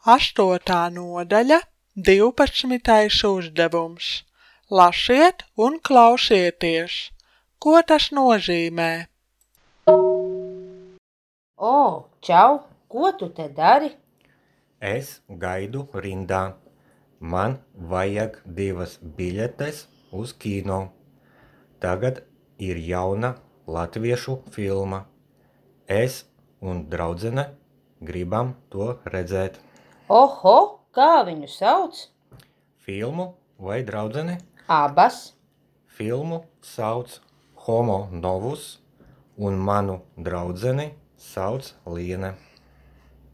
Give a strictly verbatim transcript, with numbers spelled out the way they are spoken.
Astotā nodaļa, divpadsmitais uzdevums. Lasiet un klausieties. Ko tas nozīmē? O, čau, ko tu te dari? Es gaidu rindā. Man vajag divas biļetes uz kino. Tagad ir jauna latviešu filma. Es un draudzene gribam to redzēt. Oho, kā viņu sauc? Filmu vai draudzeni? Abas. Filmu sauc Homo Novus un manu draudzeni sauc Liene.